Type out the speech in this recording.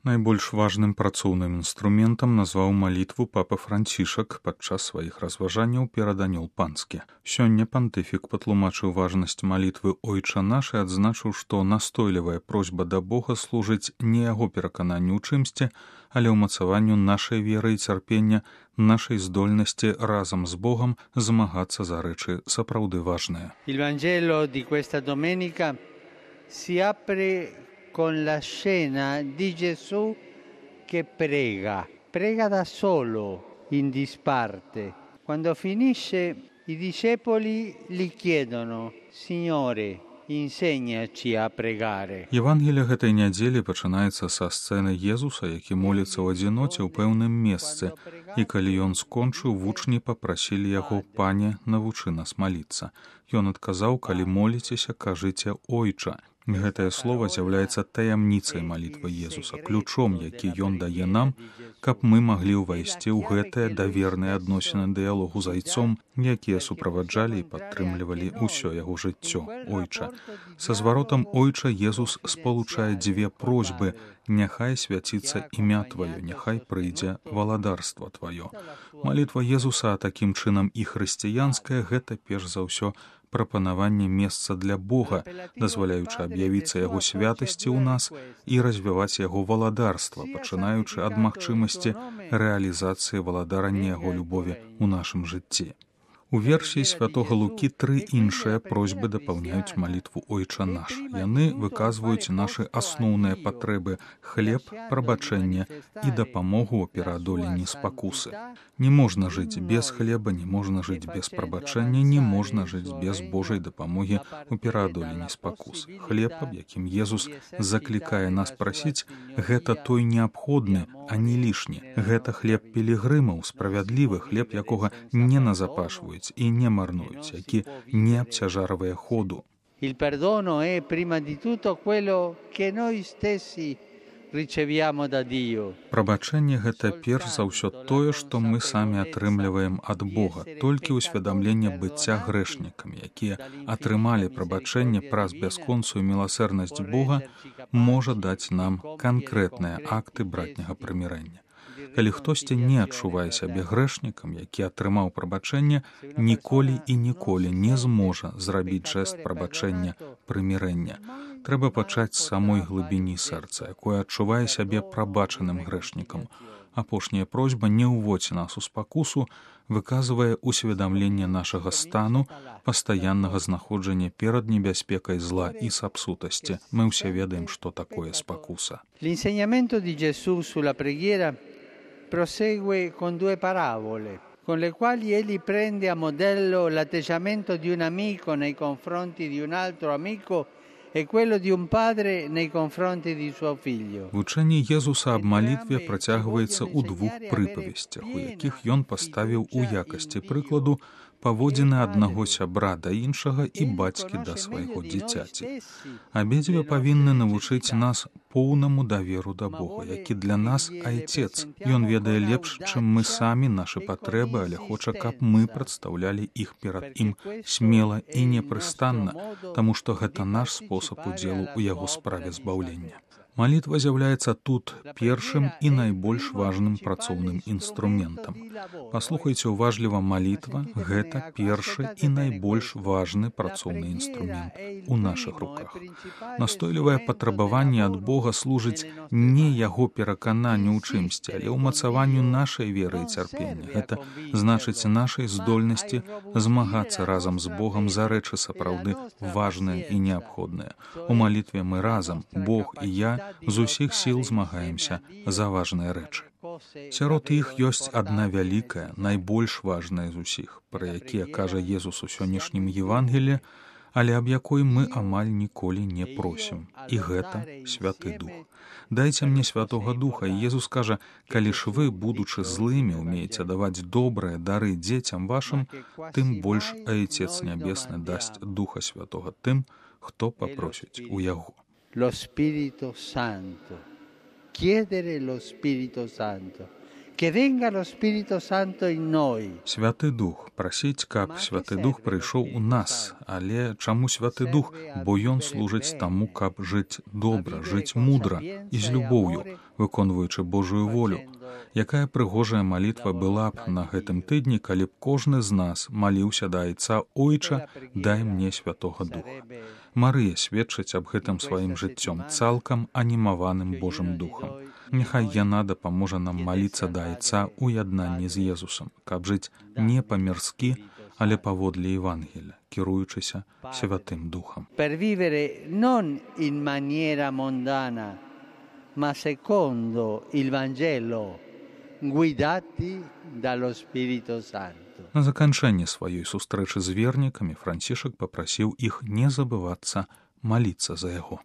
Найбольш важным працоўным інструментам назваў малітву папа Францішак падчас сваіх разважанняў перад анёл панскі. Сёння пантыфік патлумачыў важнасць малітвы «Ойча наш» і адзначыў, што настойлівая просьба да Бога служыць не яго перакананню ў чымсьці, але ўмацаванню нашай веры і цярпення, нашай здольнасці разам з Богам змагацца за рэчы сапраўды важныя. Il Vangelo di questa domenica si apre con la scena di Gesù che prega da solo, in disparte. Quando finisce, i discepoli gli chiedono: Signore, insegnaci a pregare. Евангелие гэтай нядзелі пачынаецца са сцэны Езуса, які моліцца ў адзіноце ў пэўным месцы, і калі ён скончыў, вучні папрасілі яго: «Пане, навучы нас маліцца». Ён адказаў: «Калі моліцеся, кажыце «Ойча». Гэтае слово з'яўляецца таямніцай малітвы Езуса, ключом, які ён дае нам, каб мы маглі ўвайсці ў гэтыя даверныя адносіны дыялогу з Айцом, якія суправаджалі і падтрымлівалі ўсё яго жыццё. Ойча. Са зваротам «Ойча» Езус спалучае дзве просьбы: «Няхай свяціцца імя Тваё, няхай прыйдзе валадарства Тваё». Малітва Езуса, а такім чынам і хрысціянская, гэта перш за ўсё прапанаванне месца для Бога, дазваляючы аб'явіцца яго святасці ў нас і развіваць яго валадарства, пачынаючы ад магчымасці рэалізацыі валадарання яго любові ў нашым жыцці. У версіі святога Лукі тры іншыя просьбы дапаўняюць малітву «Ойча наш». Яны выказваюць нашы асноўныя патрэбы: хлеб, прабачэнне і дапамогу ў пераадоленні спакусы. Не можна жыць без хлеба, не можна жыць без прабачэння, не можна жыць без Божай дапамогі ў пераадоленні спакус. Хлеб, аб якім Езус заклікае нас прасіць, гэта той неабходны, а не лішні. Гэта хлеб пілігрымаў, справядлівы хлеб, якога не назапашваюць і не марнуюць, які не абцяжарвае ходу. Il perdono è prima di tutto quello che noi stessi riceviamo da Dio. Прабачэнне — гэта перш за ўсё тое, што мы самі атрымліваем ад Бога. Толькі ўсведамленне быцця грэшнікамі, якія атрымалі прабачэнне праз бясконцую міласэрнасць Бога, можа даць нам канкрэтныя акты братняга прымірэння. Калі хтосьці не адчувае сябе грэшнікам, які атрымаў прабачэнне, ніколі і ніколі не зможа зрабіць жэст прабачэння, прымірэння. Трэба пачаць з самой глыбіні сэрца, якое адчувае сябе прабачаным грэшнікам. Апошняя просьба «Не ўводзь нас у спакусу» выказвае усведамленне нашага стану, пастаяннага знаходжання перад небяспекай зла і сапсутасці. Мы ўсе ведаем, што такое спакуса. L'insegnamento di Gesù sulla preghiera prosegue con due parabole, con le quali egli prende a modello l'atteggiamento di un amico nei confronti di un altro amico e quello di un padre nei confronti di suo figlio. Вучэнне Езуса аб малітве працягваецца ў двух прыпавесцях, у якіх ён паставіў у якасці прыкладу паводзіны аднаго сябра да іншага і бацькі да свайго дзіцяці. Абедзве павінны навучыць нас поўнаму даверу да Бога, які для нас Айцец. Ён ведае лепш, чым мы самі, нашы патрэбы, але хоча, каб мы прадстаўлялі іх перад ім смела і непрыстанна, таму што гэта наш спосаб удзелу ў яго справе збаўлення. Малітва з'яўляецца тут першым і найбольш важным працоўным інструментам. Паслухайце уважліва, малітва — гэта першы і найбольш важны працоўны інструмент у нашых руках. Настойлівае патрабаванне ад Бога служыць не яго перакананню ў чымсьці, але ўмацаванню нашай веры і цярпення. Гэта значыць нашай здольнасці змагацца разам з Богам за рэчы сапраўды важныя і неабходныя. У малітве мы разам, Бог і я, з усіх сіл змагаемся за важныя рэчы. Сярод іх ёсць адна вялікая, найбольш важная з усіх, пра якія кажа Езус у сённяшнім Евангеліі, але аб якой мы амаль ніколі не просім. І гэта Святы Дух. «Дайце мне Святога Духа». І Езус кажа: «Калі ж вы, будучы злымі, умееце даваць добрыя дары дзецям вашым, тым больш Айцец Нябесны дасць Духа Святога тым, хто папросіць у яго». Lo Spirito Santo. Chiedere lo Spirito Santo. Che venga lo Spirito Santo in noi. Святы Дух, прасіць, каб Святы Дух прыйшоў у нас. Але чаму Святы Дух? Бо Ён служыць таму, каб жыць добра, жыць мудра і з любоўю, выконваючы Божую волю. Якая прыгожая малітва была б на гэтым тыдні, калі б кожны з нас маліўся да Айца: «Ойча, дай мне Святога Духа». Марыя сведчыць аб гэтым сваім жыццём, цалкам анімаваным Божым Духам. Няхай яна дапаможа нам маліцца да Айца у яднанні з Езусам, каб жыць не па-мірскі, але паводле Евангелія, кіруючыся Святым Духам. Per vivere non in maniera mondana, ma secondo il Vangelo, guidati dallo Spirito Santo. На заканчэнне сваёй сустрэчы з вернікамі Францішак папрасіў іх не забывацца маліцца за яго.